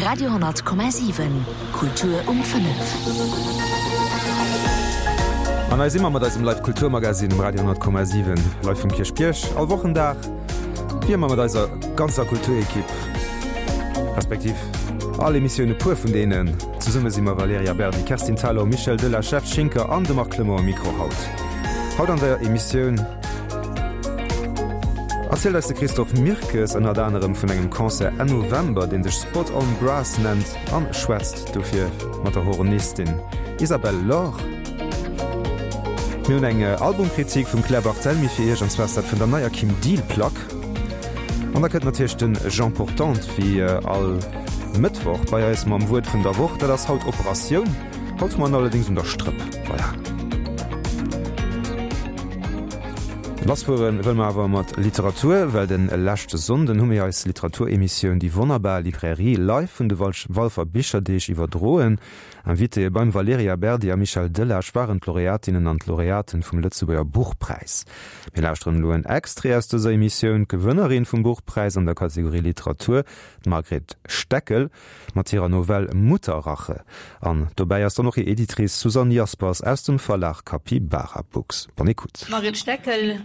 Radio 10,7 Kultur um 5. An hei si mer mat eisem Live Kulturmagazin um Radio 10,7 live vum Kierchbierg. All Wochendag wéi ëmmer mat eiser ganzer Kulturekipp, respektiv all Emissioun e puer vun deenen. Zesumme si mer Valerija Berdi, Kerstin Thalau, Michel Delage, Jeff Schinker an de Marc Clement um Mikro haut. Haut an der Emissioun erzielt eis de Christophe Mirkes ënnert anerem vun engem Concert Enn November, deen sech Spot on Brass nennt an schwätzt dofir mat der Hornistin Isabelle Lor. Mir hunn eng Albumkritik vum Claire Barthelmy fir Iech, an zwar ass dat vun der neier Kim Deal Plack. An da kënnt natierlech de Jean Portante wéi all Mëttwoch bei eis mam Wuert vun der Woch. Dat ass haut Operatioun. Haut hu mer en allerdéngs un der Strëpp. Voilà. Lassfuere wëlle mer awer mat Literatur, well de leschte Sonnden hu mir eis Literaturemissioun Déi wonnerbar Librairie live vun de Walfer Bicherdeeg iwwerdroen. Invitéë beim Valerija Berdi a Michel Delage waren d'Laureatinnen an d'Laureaten vum Lëtzebuerger Buchpräis. Mir lauschteren elo en Extrait aus dëser Emissioun. D'Gewënnerin vum Buchpräis an der Kategorie Literatur, d'Margret Steckel, mat hirer Novell Mutterrache. An dobäi ass dann och hir Editrice Susanne Jaspers aus dem Verlag Capybara Books. Bonne écoute. D'Margret Steckel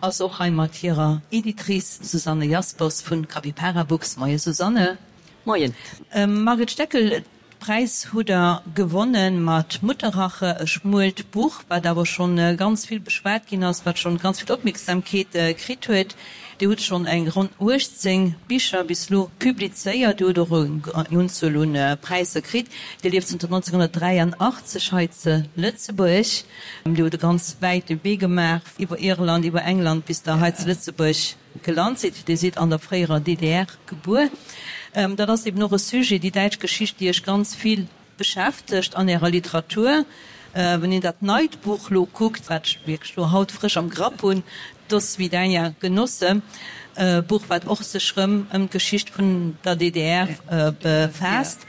ass och hei mat hirer Editrice Susanne Jaspers vun Capypara Books. Moie Susanne. Moien. Margret Steckel, Präis hutt der gewonne mat Mutterrache, e schmuelt Buch, wat awer schonn ganz vill beschwat ginn ass, wat schonn ganz vill Opmierksamkeet kritt huet. Dir hutt schonn eng ronn 18 Bicher bis elo publizéiert. Dir hutt och eng Unzuel un Präisser kritt. Dir lieft zënter 1983 hei ze Lëtzebuerg. Dir hutt e ganz wäite Wee gemaach iwwer Irland, iwwer England bis der hei ze Lëtzebuerg Gelant sidd. Dir sidd an der fréierer DDR gebuer. Dat ass eben och e Sujet, déi däitsch Geschicht, déi Iech ganz vill beschäftegt an Ärer Literatur. Wann een dat neit Buch lo kuckt, wat ech wierklech lo haut frësch am Grapp hunn, Do swidaja, Genosse, e Buch, wat och sech rëm ëm d'Geschicht vun der DDR befaasst.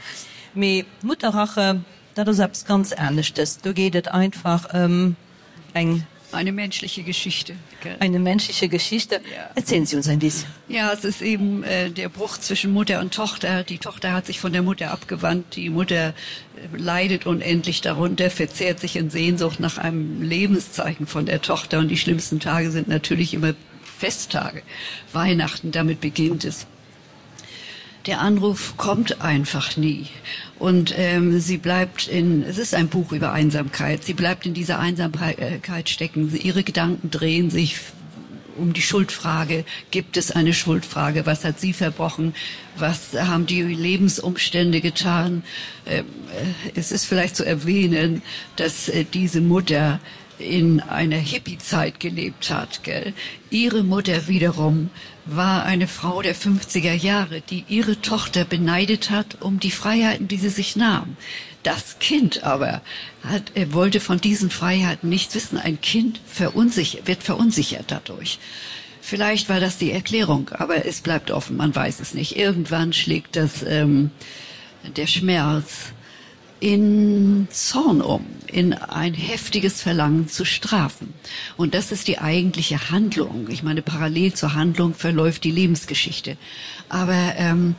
Mee Mutterrache, dat ass eppes ganz aneschtes. Do geet et einfach ëm eng Eine menschliche Geschichte. Eine menschliche Geschichte. Ja. Erzählen Sie uns ein bisschen. Ja, es ist eben äh, der Bruch zwischen Mutter und Tochter. Die Tochter hat sich von der Mutter abgewandt. Die Mutter äh, leidet unendlich darunter, verzehrt sich in Sehnsucht nach einem Lebenszeichen von der Tochter. Und die schlimmsten Tage sind natürlich immer Festtage. Weihnachten, damit beginnt es. Der Anruf kommt einfach nie. Und ähm, sie bleibt in es ist ein Buch über Einsamkeit. Sie bleibt in dieser Einsamkeit stecken. Sie, ihre Gedanken drehen sich um die Schuldfrage. Gibt es eine Schuldfrage? Was hat sie verbrochen? Was haben die Lebensumstände getan? Ähm, äh, es ist vielleicht zu erwähnen, dass äh, diese Mutter in einer Hippiezeit gelebt hat. Gell? Ihre Mutter wiederum war eine Frau der 50er Jahre, die ihre Tochter beneidet hat um die Freiheiten, die sie sich nahm. Das Kind aber hat, er wollte von diesen Freiheiten nichts wissen. Ein Kind verunsichert, wird verunsichert dadurch. Vielleicht war das die Erklärung, aber es bleibt offen, man weiß es nicht. Irgendwann schlägt das ähm, der Schmerz in Zorn um, in ein heftiges Verlangen zu strafen. Und das ist die eigentliche Handlung. Ich meine, parallel zur Handlung verläuft die Lebensgeschichte. Aber ähm,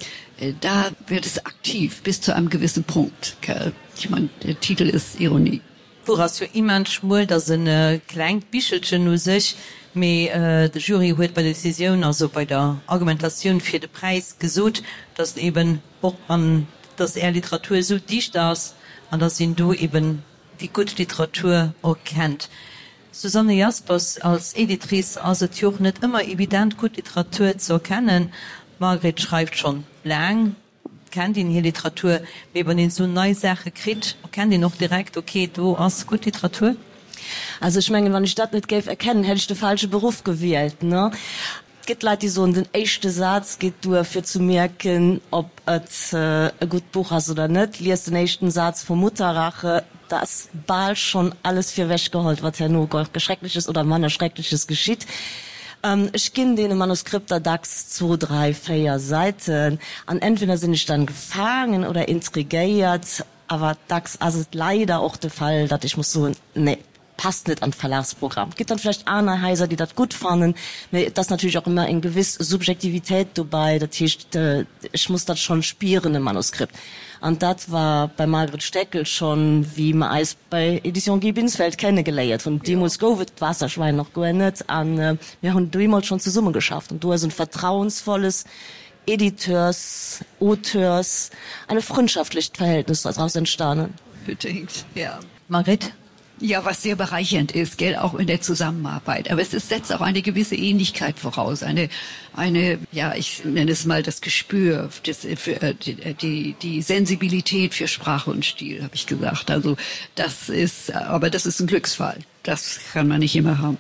da wird es aktiv bis zu einem gewissen Punkt. Gell? Ich meine, der Titel ist Ironie. D'Buch ass jo immens schmuel, et ass e klengt Bichelchen u sech, mee de Jury huet bei der Decisioun, also bei der Argumentatioun fir de Präis gesot, datt eben och an datt Är Literatur esou dicht ass an datt een do eben déi gutt Literatur erkennt. Susanne Jaspers, Als Editrice ass et jo och net ëmmer evident, gutt Literatur ze erkennen. D'Margret schreift schonn laang. Kennt een hir Literatur, mee wann een esou nei Saache kritt, erkennt een och direkt, ok, do ass gutt Literatur? Also ech mengen, wann ech dat net géif erkennen, hätt ech de falsche Beruff gewielt, ne? Et gëtt Leit, déi soen, den éischte Saz geet duer, fir ze mierken, ob et e gutt Buch ass oder net. Lies den éischten Saz vu Mutterrache, da ass bal schonn alles virwechgeholt, wat herno Schreckleches oder manner Schreckleches geschitt. Ech ginn deene Manuskripter dacks zwou, dräi, véier Säiten an entweder sinn ech dann gefaangen oder intrigéiert, awer dacks ass et leider och de Fall, datt ech muss soen, nee. passt net an d'Verlagsprogramm. Et gëtt dann vläicht aner Haiser, déi dat gutt fannen, mä et ass natierlech och ëmmer eng gewiss Subjektivitéit dobäi. Dat heescht, ech muss dat schonn spieren, e Manuskript. An dat war beim Margret Steckel schonn, wéi mer eis bei Editions Guy Binsfeld kennegeléiert hunn. Deemools gouf et d'Waasserschwein nach guer net a mir hunn deemools schonn zesummegeschafft. An do ass e vertrauensvolles Editeurs, Auteurs, eine freundschaftlicht Verhältnis daraus entstanden. Unbedingt, ja. Margret? Ja, was sehr bereichernd ist, gell, auch in der Zusammenarbeit. Aber es ist, setzt auch eine gewisse Ähnlichkeit voraus, eine, eine ja, ich nenne es mal das Gespür, das, für, äh, die, äh, die, die Sensibilität für Sprache und Stil, habe ich gesagt. Also das ist, aber das ist ein Glücksfall. Das kann man nicht immer haben.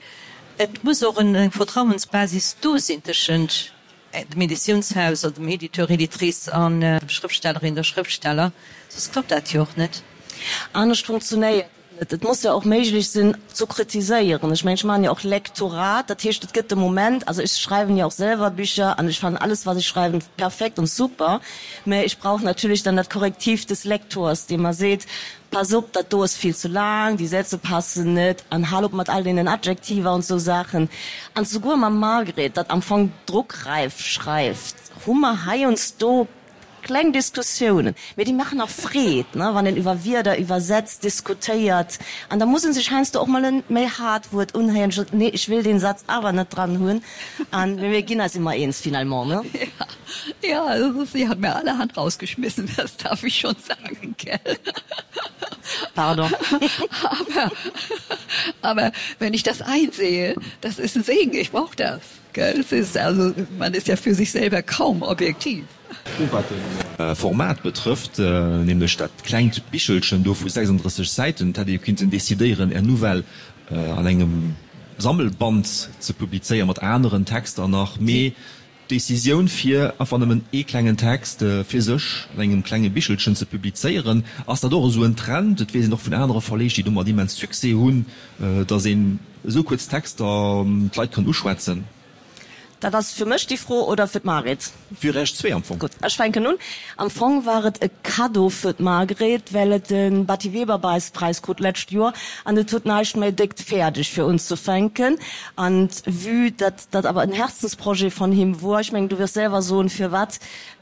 Et muss och eng Vertrauensbasis do sinn tëschent dem Editiounshaus oder dem Editeur, Editrice an dem Schrëftstellerin, der Schrëftsteller, soss klappt dat jo och net. Anescht funktionéiert et net. Et muss jo och méiglech sinn zu kritiséieren. Ech mengen, ech maachen jo och Lektorat, dat heescht, et gëtt de Moment, also ech schreiwen jo och selwer Bücher an ech fannen alles, wat ech schreiwen, perfekt und super, mä ech brauch natierlech dann dat Korrektiv des Lektors, dee mer seet, Pass op, dat do ass vill ze laang, déi Sätze passen net, an hal op mat all deenen Adjektiver an sou Saachen. An souguer mam Margret, dat am Fong druckreif schreift, hu mer heiansdo kleng Diskussiounen. Mee déi maachen och Freed, ne, wann een iwwer Wierder, iwwer Sätz diskutéiert. An da muss ee sech heiansdo och mol e méi haart Wuert unhéieren, sot, nee, ech wëll deen Satz awer net dran hunn. An mir ginn eis ëmmer eens finalement, ne? Ja, also sie hat mir allerhand rausgeschmissen, das darf ich schon sagen, gell? Pardon. aber, aber wenn ich das einsehe, das ist ein Segen, ich brauche das. Gell? Es ist also, man ist ja für sich selber kaum objektiv. Wat de Format betrëfft, nämlech dat klengt Bichelchen do vu 36 Säiten, dat hätt ee jo kinnten decidéieren, Är Nouvelle an engem Sammelband ze publizéieren, mat aneren Texter nach, mee D'Decisioun fir einfach nëmmen ee klengen Text fir sech an engem klenge Bichelchen ze publizéieren, ass dat och esou en Trend? Et weess een och vun anere Verleeg, déi domat immens Succès hunn, datt een esou kuerz Texter d'Leit kann uschwätzen. Dat ass fir mech déi Fro oder fir d'Margret? Fir Iech zwee am Fong. Gutt, ech fänken un. Am Fong war et e Cadeau fir d'Margret, well et de Batty Weber Präis krut d'lescht Joer an et huet näischt méi déckt fäerdeg fir unzefänken. An vue datt dat awer en Herzensprojet von him wor, ech mengen du wirst selwer soen firwat,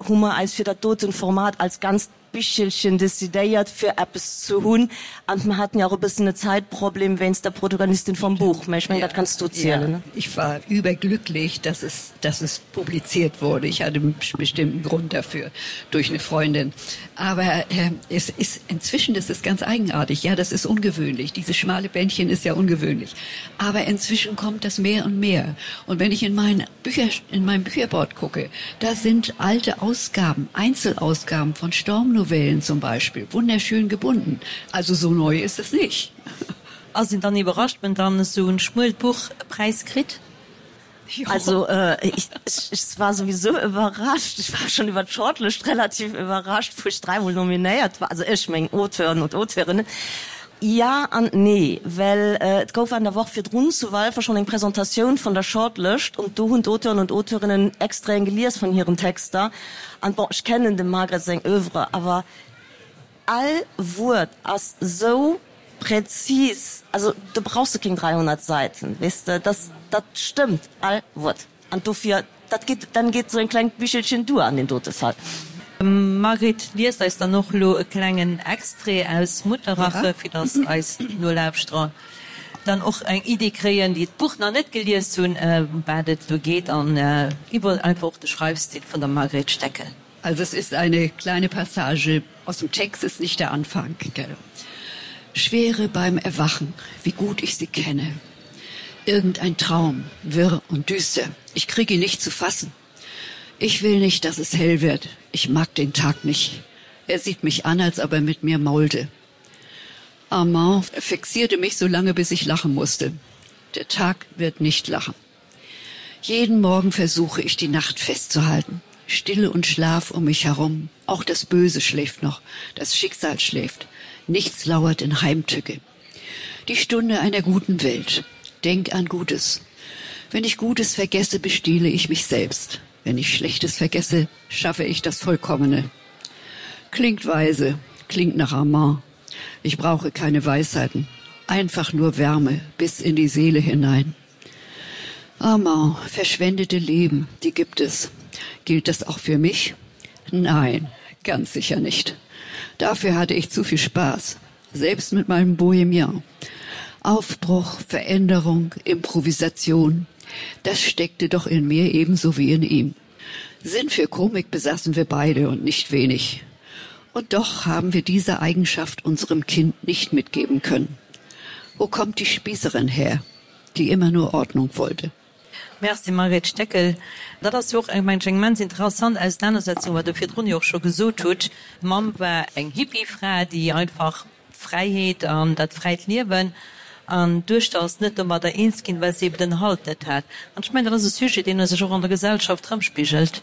hu mer eis fir dat doten Format als ganzt Bichelchen decidéiert fir eppes ze hunn. An mer haten jo och e bëssen e Zäitproblem wéinst der Protagonistin vom Buch, mä ech mengen dat kanns du zielen, ne? Ich war überglücklich, dass es, dass es publiziert wurde. Ich hatte einen bestimmten Grund dafür durch eine Freundin. Aber äh, es ist inzwischen das ist ganz eigenartig. Ja, das ist ungewöhnlich. Dieses schmale Bändchen ist ja ungewöhnlich. Aber inzwischen kommt das mehr und mehr. Und wenn ich in mein Bücher in meinem Bücherboard gucke, da sind alte Ausgaben, Einzelausgaben von Stormnovellen zum Beispiel wunderschön gebunden. Also so neu ist es nicht. Ass een dann iwwerrascht, wenn dann esou en schmuelt Buch e Präis kritt? Also ich, ich war sowieso überrascht. Ich war schon iwwer d'Shortlist relativ überrascht, wou ech dräimol nominéiert war, also ech, meng Auteuren und Auteurinnen. Ja an nee, well et gouf an der Woch virdrun zu Walfer schonn eng Presentatioun vun der Shortlist und do hunn d'Auteuren und Auteurinnen Extraiten gelies vun hiren Texter. An bon, ech kennen dem Margret seng Oeuvre, awer All Wuert ass sou präzis, also do brauchs de kéng 300 Säiten, weess de, dass dat stëmmt all Wuert an dofir dat geet, dann geet sou en klengt Bichelchen duer an deem dote Fall. Margret liest eis dann och elo e klengen Extrait aus Mutterrache, fir dass eis Nolauschterer dann och eng Idee kréien, déi d'Buch nach net gelies hunn, ëm wat et do geet an iwwer einfach och de Schreifstil vun der Margret Steckel. Also es ist eine kleine Passage aus dem Text ist nicht der Anfang gell. Schwere beim Erwachen, wie gut ich sie kenne. Irgendein Traum, wirr und düster. Ich kriege ihn nicht zu fassen. Ich will nicht, dass es hell wird. Ich mag den Tag nicht. Er sieht mich an, als ob er mit mir maulte. Armand fixierte mich so lange, bis ich lachen musste. Der Tag wird nicht lachen. Jeden Morgen versuche ich die Nacht festzuhalten. Stille und Schlaf um mich herum. Auch das Böse schläft noch, das Schicksal schläft. Nichts lauert in Heimtücke. Die Stunde einer guten Welt. Denk an Gutes. Wenn ich Gutes vergesse, bestehle ich mich selbst. Wenn ich Schlechtes vergesse, schaffe ich das Vollkommene. Klingt weise, klingt nach Armand. Ich brauche keine Weisheiten. Einfach nur Wärme bis in die Seele hinein. Amant, verschwendete Leben, die gibt es. Gilt das auch für mich? Nein, ganz sicher nicht. Dafür hatte ich zu viel Spaß, selbst mit meinem Bohemian. Aufbruch, Veränderung, Improvisation, das steckte doch in mir ebenso wie in ihm. Sinn für Komik besaßen wir beide und nicht wenig. Und doch haben wir diese Eigenschaft unserem Kind nicht mitgeben können. Wo kommt die Spießerin her, die immer nur Ordnung wollte? Merci Margret Steckel. Dat ass jo och eng, mengen ech, eng immens interessant Ausenanersetzung, wat Der virdrun jo och scho gesot hutt. D'Mamm war eng Hippie-Fra, déi einfach d'Fräiheet an dat fräit Liewen an d'Duechter ass net domadder eens ginn, well se eben den Halt net hat. An ech mengen, dat ass e Sujet, deen sech och an der Gesellschaft erëmspigelt.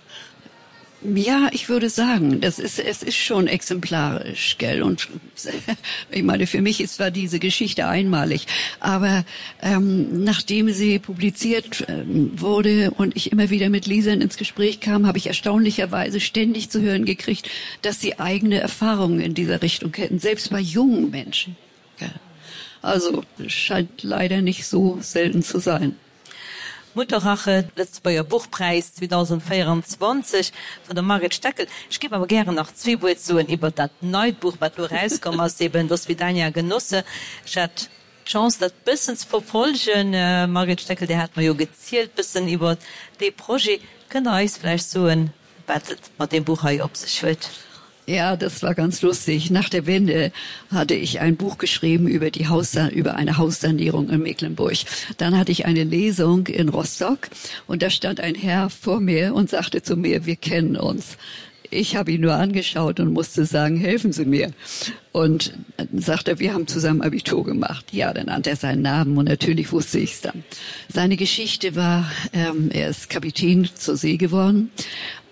Ja, ich würde sagen, das ist, es ist schon exemplarisch gell und ich meine für mich ist zwar diese Geschichte einmalig, aber ähm, nachdem sie publiziert ähm, wurde und ich immer wieder mit Lesern ins Gespräch kam, habe ich erstaunlicherweise ständig zu hören gekriegt, dass sie eigene Erfahrungen in dieser Richtung hätten, selbst bei jungen Menschen. Ja. Also scheint leider nicht so selten zu sein. Mutterrache, Lëtzebuerger Buchpräis 2024 vun der Margret Steckel. Ech géif awer gären nach zwee Wuert soen iwwert dat neit Buch, wat elo erauskomm ass, eben Do svidania Genosse. Ech hat d'Chance, dat bëssen ze verfolgen. Margret Steckel, Dir hat mer jo gezielt bëssen iwwert dee Projet. Kënnt Der eis vläicht soen, wat et mat deem Buch hei op sech huet? Ja, das war ganz lustig. Nach der Wende hatte ich ein Buch geschrieben über die Haus über eine Haussanierung in Mecklenburg. Dann hatte ich eine Lesung in Rostock und da stand ein Herr vor mir und sagte zu mir: „Wir kennen uns. Ich habe ihn nur angeschaut und musste sagen: „Helfen Sie mir. Und dann sagt er: „Wir haben zusammen Abitur gemacht. Ja, dann nannte er seinen Namen und natürlich wusste ich es dann. Seine Geschichte war, ähm, er ist Kapitän zur See geworden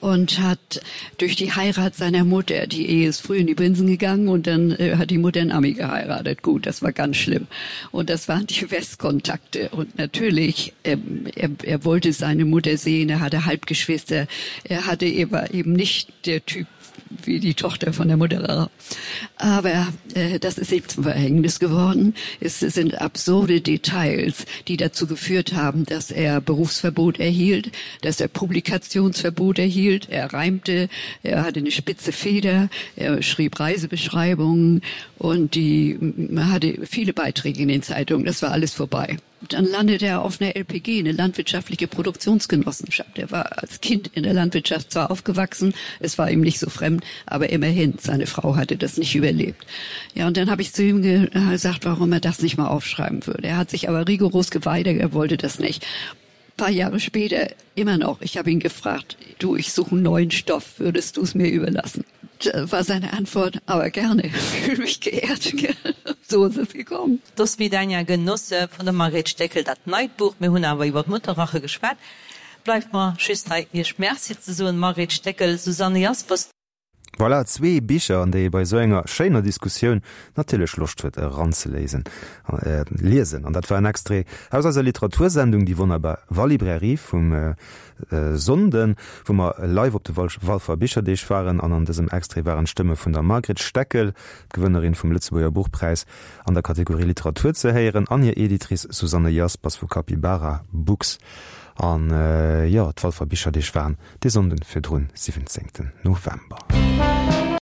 und hat durch die Heirat seiner Mutter, die Ehe ist früh in die Binsen gegangen und dann äh, hat die Mutter einen Ami geheiratet. Gut, das war ganz schlimm. Und das waren die Westkontakte. Und natürlich, ähm, er, er wollte seine Mutter sehen, er hatte Halbgeschwister, er hatte eben, eben nicht der Typ wie die Tochter von der Mutter. Aber äh, das ist eben zum Verhängnis geworden. Es sind absurde Details, die dazu geführt haben, dass er Berufsverbot erhielt, dass er Publikationsverbot erhielt. Er reimte, er hatte eine spitze Feder, er schrieb Reisebeschreibungen und die hatte viele Beiträge in den Zeitungen. Das war alles vorbei. Dann landete er auf einer LPG, eine landwirtschaftliche Produktionsgenossenschaft. Er war als Kind in der Landwirtschaft zwar aufgewachsen, es war ihm nicht so fremd, aber immerhin, seine Frau hatte das nicht überlebt. Ja, und dann habe ich zu ihm gesagt, warum er das nicht mal aufschreiben würde. Er hat sich aber rigoros geweigert, er wollte das nicht. Ein paar Jahre später immer noch, ich habe ihn gefragt, du, ich suche einen neuen Stoff, würdest du es mir überlassen? Da war seine Antwort, aber gerne, fühle mich geehrt. So ist es gekommen. Do svidania Genosse vun der Margret Steckel, dat neit Buch. Mir hunn awer iwwer d'Mutterrache geschwat. Bleift mer just hei Iech Merci ze soen, Margret Steckel, Susanne Jaspers. Voilà, zwee Bicher, an déi ee bei esou enger schéiner Diskussioun natierlech Loscht huet eranzeléisen, liesen. An dat war en Extrait aus eiser Literatursendung Déi wonnerbar Wallibrairie vum Sonnden, wou mer live op de Walfer Bicherdeeg waren. An an dësem Extrait waren d'Stëmme vun der Margret Steckel, d'Gewënnerin vum Lëtzebuerger Buchpräis an der Kategorie Literatur ze héieren, an hir Editrice Susanne Jaspers vu Capybara Books. An jo, d'Walfer Bicherdeeg waren dee Sonnden virdrun, 17 November.